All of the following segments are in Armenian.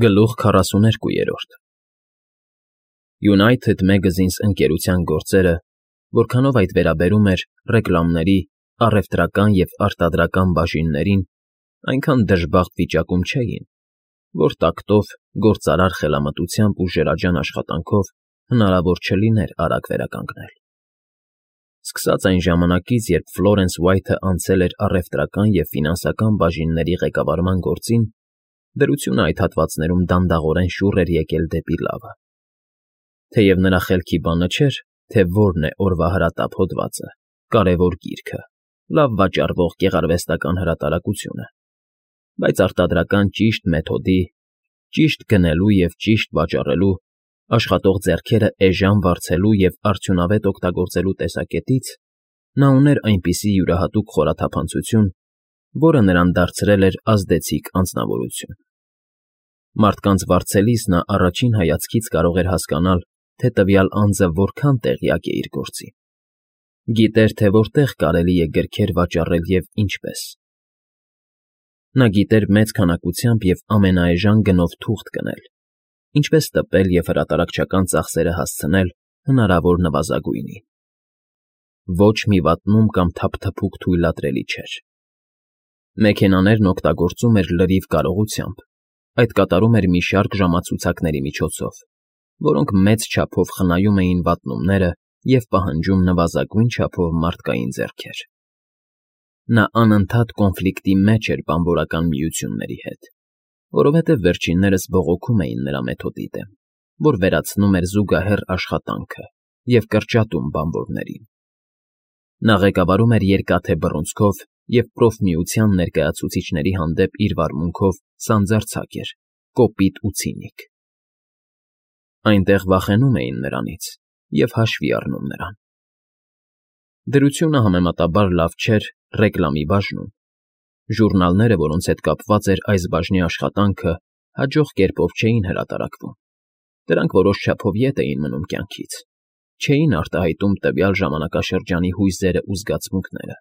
Գլուխ 42 United Magazines ընկերության գործերը, որքանով այդ վերաբերում էր ռեկլամների, առևտրական և արտադրական բաժիններին, այնքան դժբախտ վիճակում չէին, որ տակտով, գործարար խելամտությամբ ու ժերաջան աշխատանքով հնարավոր չլիներ արագ վերականգնել։ Սկսած այն ժամանակից, երբ Ֆլորենս Ուայթը անցել էր առևտրական և ֆինանսական բաժինների ղեկավարման գործին, դրությունը այդ հատվածներում դանդաղորեն շուռ էր եկել դեպի լավը։ Թեև նրա խելքի բանը չէր, թե որն է օրվա հրատապ հոդվածը, կարևոր գիրքը, լավ վաճառվող գեղարվեստական հրատարակությունը, բայց արտադրական ճիշտ մեթոդի, ճիշտ գնելու և ճիշտ վաճառելու, աշխատող ձեռքերը էժան վարձելու և արդյունավետ օգտագործելու տեսակետից նա ուներ այնպիսի յուրահատուկ խորաթափանցություն, որը նրան դարձրել էր ազդեցիկ անձնավորություն։ Մարդկանց վարձելիս նա առաջին հայացքից կարող էր հասկանալ, թե տվյալ անձը որքան տեղյակ է իր գործին։ Գիտեր, թե որտեղ կարելի է գրքեր վաճառել և ինչպես։ Նա գիտեր մեծ քանակությամբ և ամենաէժան գնով թուղթ գնել, ինչպես տպել և հրատարակչական ծախսերը հասցնել հնարավոր նվազագույնին։ Ոչ մի վատնում կամ թափթփուկ թույլատրելի չէր։ Մեքենաներն օգտագործում էր լրիվ կարողությամբ, այդ կատարում էր մի շարք ժամացուցակների միջոցով, որոնք մեծ չափով խնայում էին վատնումները և պահանջում նվազագույն չափով մարդկային ձեռքեր։ Նա անընդհատ կոնֆլիկտի մեջ էր բանվորական միությունների հետ, որովհետև վերջիններս բողոքում էին նրա մեթոդի դեմ, որ վերացնում էր զուգահեռ աշխատանքը և կրճատում բանվորներին։ Նա ղեկավարում էր Երկաթե Բռունցքով և պրոֆմիության ներկայացուցիչների հանդեպ իր վարմունքով սանձարձակ էր, կոպիտ ու ցինիկ։ Այնտեղ վախենում էին նրանից և հաշվի առնում նրան։ Դրությունը համեմատաբար լավ չէր ռեկլամի բաժնում։ Ժուրնալները, որոնց հետ կապված էր այս բաժնի աշխատանքը, հաջող կերպով չէին հրատարակվում։ Դրանք որոշ չափով ետ էին մնում կյանքից, չէին արտահայտում տվյալ ժամանակաշրջանի հույզերն ու զգացմունքները,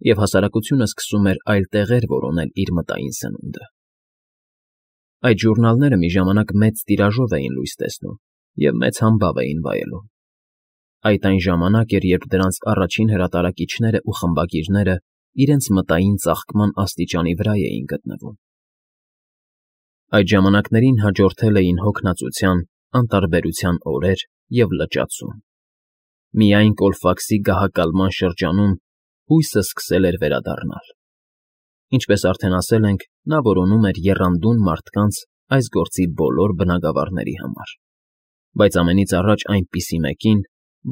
և հասարակությունը սկսում էր այլ տեղեր որոնել իր մտային սնունդը։ Այդ ժուրնալները մի ժամանակ մեծ տիրաժով էին լույս տեսնում և մեծ համբավ էին վայելում։ Այդ այն ժամանակ էր, երբ դրանց առաջին հրատարակիչներն ու խմբագիրները իրենց մտային ծաղկման աստիճանի վրա էին գտնվում։ Այդ ժամանակներին հաջորդել էին հոգնածության, անտարբերության օրեր և լճացում։ Միայն Կոլֆաքսի գահակալման շրջանում հույսը սկսել էր վերադառնալ։ Ինչպես արդեն ասել ենք, նա որոնում էր եռանդուն մարդկանց այս գործի բոլոր բնագավառների համար, բայց ամենից առաջ այնպիսի մեկին,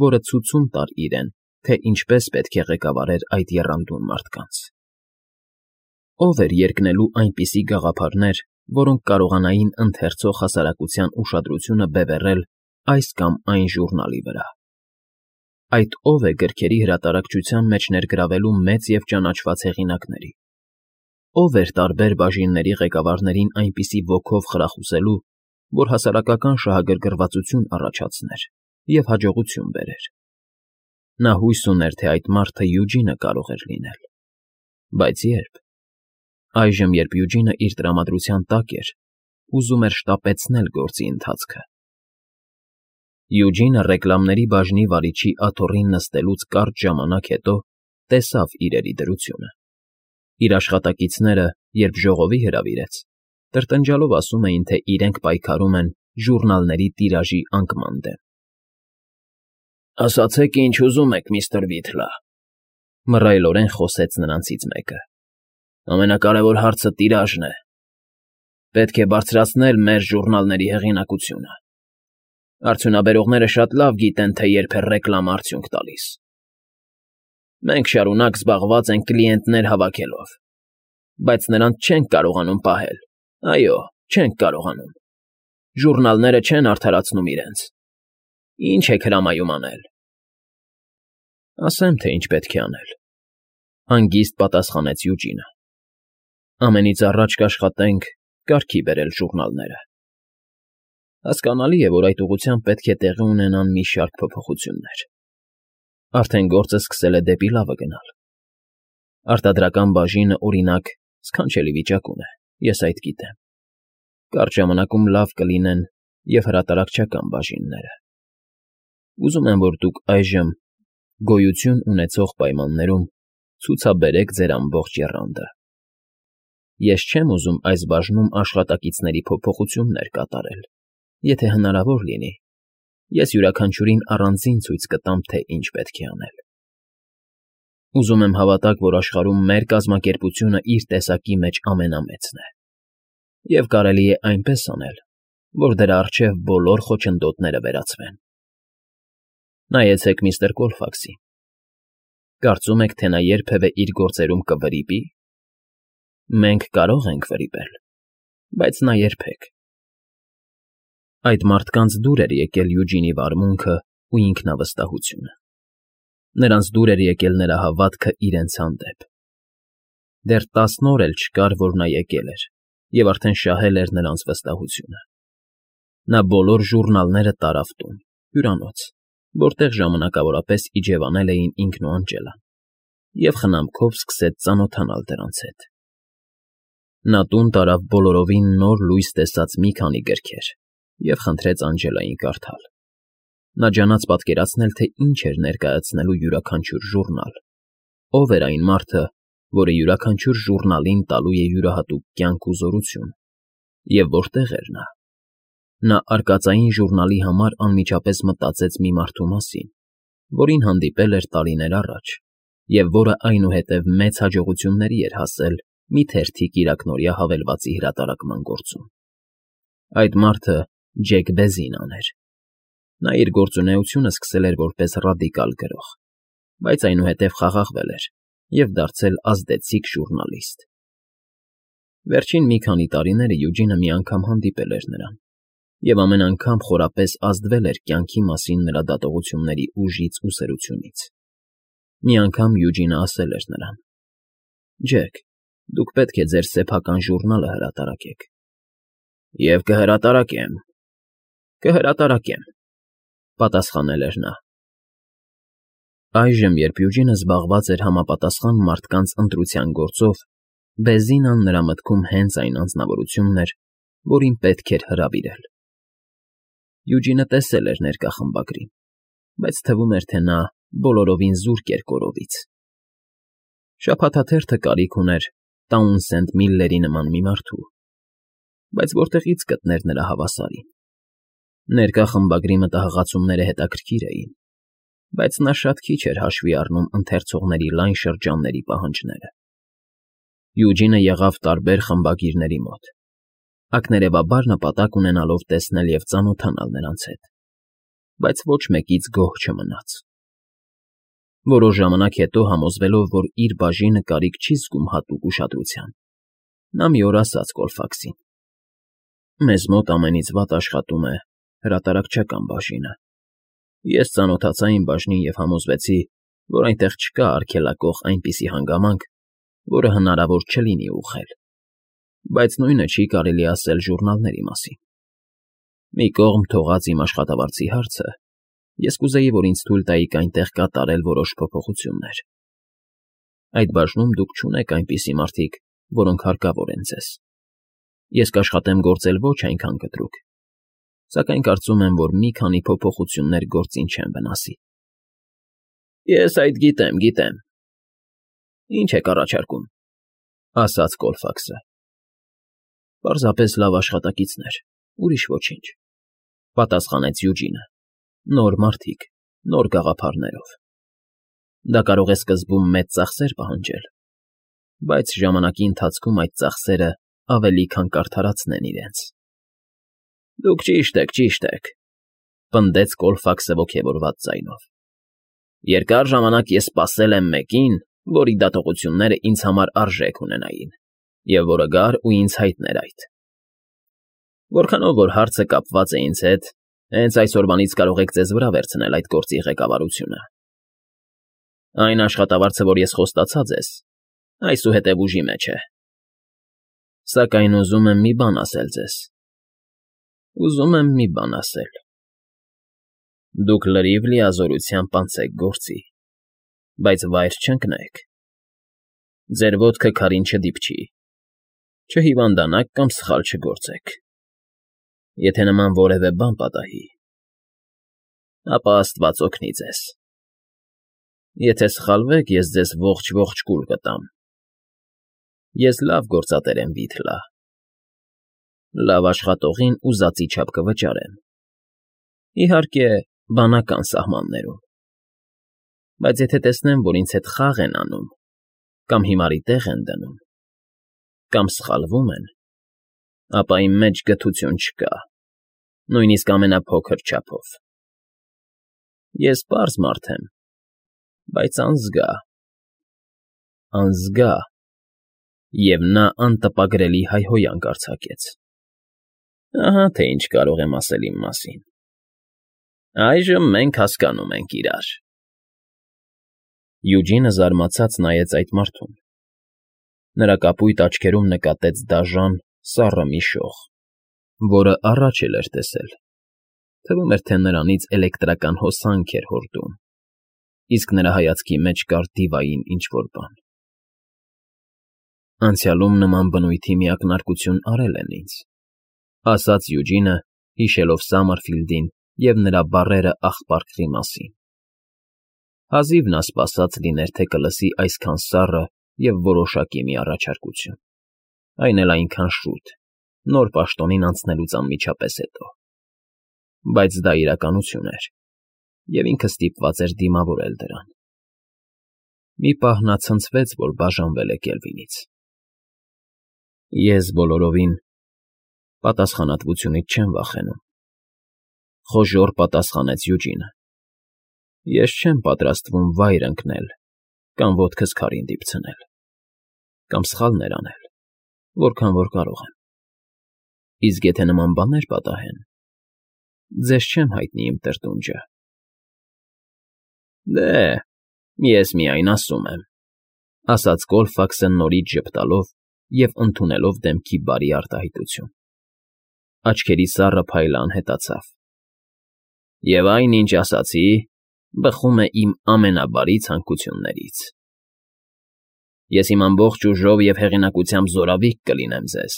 որը ցուցում տար իրեն, թե ինչպես պետք է ղեկավարեր այդ եռանդուն մարդկանց։ Ո՞վ էր երկնելու այնպիսի գաղափարներ, որոնք կարողանային ընթերցող հասարակության ուշադրությունը բևեռել այս կամ այն ժուրնալի վրա։ Այդ ո՞վ է գրքերի հրատարակչության մեջ ներգրավելու մեծ և ճանաչված հեղինակների։ Ո՞վ էր տարբեր բաժինների ղեկավարներին այնպիսի ոգով խրախուսելու, որ հասարակական շահագրգռվածություն առաջացներ և հաջողություն բերեր։ Նա հույս ուներ, թե այդ մարդը Յուջինը կարող էր լինել։ Բայց ե՞րբ։ Այժմ, երբ Յուջինը իր տրամադրության տակ էր, ուզում էր շտապեցնել գործի ընթացքը։ Յուջինը ռեկլամների բաժնի վարիչի աթոռին նստելուց կարճ ժամանակ հետո տեսավ իրերի դրությունը։ Իր աշխատակիցները, երբ ժողովի հրավիրեց, տրտնջալով ասում էին, թե իրենք պայքարում են ժուրնալների տիրաժի անկման դեմ։ «Ասացեք, ինչ ուզում եք, միստր Վիթլը,֊ մռայլորեն խոսեց նրանցից մեկը,֊ ամենակարևոր հարցը տիրաժն է։ Պետք է բարձրացնել մեր ժուրնալների հեղինակությունը։ Արդյունաբերողները շատ լավ գիտեն, թե երբ է ռեկլամը արդյունք տալիս։ Մենք շարունակ զբաղված ենք կլիենտներ հավաքելով, բայց նրանց չենք կարողանում պահել, այո, չենք կարողանում։ Ժուրնալները չեն արդարացնում իրենց։ Ինչ եք հրամայում անել»։ «Ասեմ, թե ինչ պետք է անել,֊ հանգիստ պատասխանեց Յուջինը։ «Ամենից առաջ կաշխատենք կարգի բերել ժուրնալները։ Հասկանալի է, որ այդ ուղղությամբ պետք է տեղի ունենան մի շարք փոփոխություններ։ Արդեն գործը սկսել է դեպի լավը գնալ։ Արտադրական բաժինը, օրինակ, սքանչելի վիճակում է, ես այդ գիտեմ։ Կարճ ժամանակում լավ կլինեն և հրատարակչական բաժինները։ Ուզում եմ, որ դուք այժմ գոյություն ունեցող պայմաններում ցուցաբերեք ձեր ամբողջ եռանդը։ Ես չեմ ուզում այս բաժնում աշխատակիցների փոփոխություններ կատարել, եթե հնարավոր լինի, ես յուրաքանչյուրին առանձին ցույց կտամ, թե ինչ պետք է անել։ Ուզում եմ հավատաք, որ աշխարհում մեր կազմակերպությունը իր տեսակի մեջ ամենամեծն է, և կարելի է այնպես անել, որ դրա առջև բոլոր խոչընդոտները վերացվեն։ Նայեցեք միստր Կոլֆաքսին։ Կարծում եք, թե նա երբևէ իր գործերում կվրիպի։ Մենք կարող ենք վրիպել, բայց նա երբեք։ Այդ մարդկանց դուր էր եկել Յուջինի վարմունքն ու ինքնավստահությունը։ Նրանց դուր էր եկել նրա հավատքը իրենց հանդեպ։ Դեռ 10 օր էլ չկար, որ նա եկել էր, և արդեն շահել էր նրանց վստահությունը։ Նա բոլոր ժուռնալները տարավ տուն, հյուրանոց, որտեղ ժամանակավորապես իջևանել էին ինքն ու Անջելան, և խնամքով սկսեց ծանոթանալ դրանց հետ։ Նա տուն տարավ բոլորովին նոր լույս տեսած մի քանի գրքեր և խնդրեց Անջելային կարդալ։ Նա ջանաց պատկերացնել, թե ինչ էր ներկայացնելու յուրաքանչյուր ժուռնալ, ով էր այն մարդը, որը յուրաքանչյուր ժուռնալին տալու է յուրահատուկ կյանք ու զորություն, և որտեղ էր նա։ Նա արկածային ժուռնալի համար անմիջապես մտածեց մի մարդու մասին, որին հանդիպել էր տարիներ առաջ, և որը այնուհետև մեծ հաջողությունների էր հասել մի թերթի կիրակնօրյա հավելվածի հրատարակման գործում։ Այդ մարդը Ջեք Բեզինան էր։ Նա իր գործունեությունը սկսել էր որպես ռադիկալ գրող, բայց այնուհետև խաղաղվել էր և դարձել ազդեցիկ ժուռնալիստ։ Վերջին մի քանի տարիները Յուջինը մի անգամ հանդիպել էր նրան, և ամեն անգամ խորապես ազդվել էր կյանքի մասին նրա դատողությունների ուժից ու սրությունից։ Մի անգամ Յուջինը ասել էր նրան. «Ջեք, դուք պետք է ձեր սեփական ժուռնալը հրատարակեք»։ «Եվ կհրատարակեմ», պատասխանել էր նա։ Այժմ, երբ Յուջինը զբաղված էր համապատասխան մարդկանց ընտրության գործով, Բեզինան նրա մտքում հենց այն անձնավորությունն էր, որին պետք էր հրավիրել։ Յուջինը տեսել էր ներկա խմբագրին, բայց թվում էր, թե նա բոլորովին զուրկ էր կորովից։ Շաբաթաթերթը կարիք ուներ Տաունսենդ Միլլերի նման մի մարդու, բայց որտեղի՞ց գտներ նրա հավասարին։ Ներկա խմբագրի մտահղացումները հետաքրքիր էին, բայց նա շատ քիչ էր հաշվի առնում ընթերցողների լայն շրջանների պահանջները։ Յուջինը եղավ տարբեր խմբագիրների մոտ, ակներևաբար նպատակ ունենալով տեսնել և ծանոթանալ նրանց հետ, բայց ոչ մեկից գոհ չմնաց։ Որոշ ժամանակ հետո, համոզվելով, որ իր բաժինը կարիք չի զգում հատուկ ուշադրության, նա մի օր ասաց Կոլֆաքսին. «Մեզ մոտ ամենից վատ աշխատում է հրատարակչական բաժինը։ Ես ծանոթացա իմ բաժնին և համոզվեցի, որ այնտեղ չկա արգելակող այնպիսի հանգամանք, որը հնարավոր չլինի ուղղել, բայց նույնը չի կարելի ասել ժուռնալների մասին։ Մի կողմ թողած իմ աշխատավարձի հարցը, ես կուզեի, որ ինձ թույլ տայիք այնտեղ կատարել որոշ փոփոխություններ։ Այդ բաժնում դուք չունեք այնպիսի մարդիկ, որոնք հարկավոր են ձեզ։ Ես կաշխատեմ գործել ոչ այնքան կտրուկ, սակայն կարծում եմ, որ մի քանի փոփոխություններ գործին չեն վնասի»։ «Ես այդ գիտեմ։ Ինչ եք առաջարկում», ասաց Կոլֆաքսը։ «Պարզապես լավ աշխատակիցներ, ուրիշ ոչինչ», պատասխանեց Յուջինը։ «Նոր մարդիկ, նոր գաղափարներով։ Դա կարող է սկզբում մեծ ծախսեր պահանջել, բայց ժամանակի ընթացքում այդ ծախսերը ավելի քան կարդարացնեն իրենց»։ «Դուք ճիշտ եք», պնդեց Կոլֆաքսը ոգևորված ձայնով։ «Երկար ժամանակ ես սպասել եմ մեկին, որի դատողությունները ինձ համար արժեք ունենային, և որը գար ու ինձ հայտներ այդ։ Որքանով որ հարցը կապված է ինձ հետ, հենց այսօրվանից կարող եք ձեզ վրա վերցնել այդ գործի ղեկավարությունը։ Այն աշխատավարձը, որ ես խոստացա ձեզ, այսուհետև ուժի մեջ է։ Սակայն ուզում եմ մի բան ասել։ Դուք լրիվ լիազորությամբ անցեք գործի, բայց վայր չընկնեք։ Ձեր ոտքը քարին չդիպչի, չհիվանդանաք կամ սխալ չգործեք։ Եթե նման որևէ բան պատահի, ապա աստված օգնի ձեզ. եթե սխալվեք, ես ձեզ ողջ կուլ կտամ. ես լավ գործատեր եմ, Վիթլա, լավ աշխատողին ուզածի չափ կվճարեմ, իհարկե, բանական սահմաններում, բայց եթե տեսնեմ, որ ինձ հետ խաղ են անում, կամ հիմարի տեղ են դնում, կամ սխալվում են, ապա իմ մեջ գթություն չկա, նույնիսկ ամենափոքր չափով. ես պարզ մարդ եմ, բայց անզգա, և նա անտպագրելի հայհոյանք արձակեց. ահա թե ինչ կարող եմ ասել իմ մասին. այժմ մենք հասկանում ենք իրար… Յուջինը զարմացած նայեց այդ մարդուն. նրա կապույտ աչքերում նկատեց դաժան, սառը մի շող, որը առաջ էլ էր տեսել, թվում էր, թե նրանից էլեկտրական հոսանք էր հորդում, իսկ նրա հայացքի մեջ կար դիվային ինչ֊որ բան. անցյալում նման բնույթի մի ակնարկություն արել են ինձ, ասաց Յուջինը, հիշելով Սամարֆիլդին և նրա բառերը աղպարկղի մասին. հազիվ նա սպասած լիներ, թե կլսի այսքան սառը և որոշակի մի առաջարկություն, այն էլ այնքան շուտ, նոր պաշտոնին անցնելուց անմիջապես հետո, բայց դա իրականություն էր, և ինքը ստիպված էր դիմավորել դրան. մի պահ նա ցնցվեց, որ բաժանվել է Կելվինից. ես բոլորովին պատասխանատվությունից չեմ վախենում, խոժոռ պատասխանեց Յուջինը, ես չեմ պատրաստվում վայր ընկնել կամ ոտքս քարին դիպցնել, կամ սխալներ անել, որքան որ կարող եմ, իսկ եթե նման բաներ պատահեն, ձեզ չեմ հայտնի իմ տրտունջը… Դե, ես միայն ասում եմ, ասաց Կոլֆաքսը նորից ժպտալով և ընդունելով դեմքի բարի արտահայտություն. աչքերի սառը փայլը անհետացավ. և այն, ինչ ասացի, բխում է իմ ամենաբարի ցանկություններից… Ես իմ ամբողջ ուժով և հեղինակությամբ զորավիկ կլինեմ ձեզ,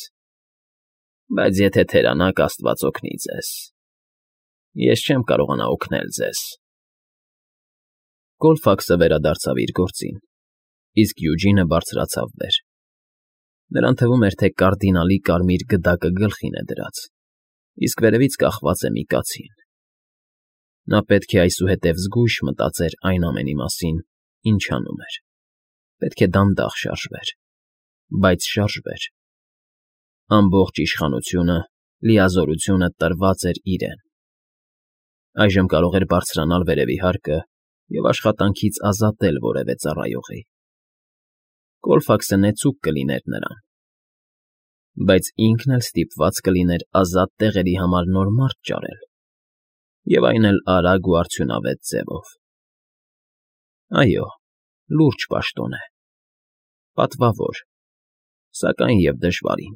բայց եթե թերանաք, աստված օգնի ձեզ… ես չեմ կարողանա օգնել ձեզ… Կոլֆաքսը վերադարձավ իր գործին, իսկ Յուջինը բարձրացավ վեր. նրան թվում էր, թե կարդինալի կարմիր գդակը գլխին է դրած, իսկ վերևից կախված է մի կացին. նա պետք է այսուհետև զգույշ մտածեր այն ամենի մասին, ինչ անում էր, պետք է դանդաղ շարժվեր, բայց շարժվեր… ամբողջ իշխանությունը, լիազորությունը տրված էր իրեն… այժմ կարող էր բարձրանալ վերևի հարկը և աշխատանքից ազատել որևէ ծառայողի… Կոլֆաքսը նեցուկ կլիներ նրան, բայց ինքն էլ ստիպված կլիներ ազատ տեղերի համար նոր մարդ ճարել, և այն էլ արագ ու արդյունավետ ձևով… այո, լուրջ պաշտոն է, պատվավոր, սակայն և դժվարին…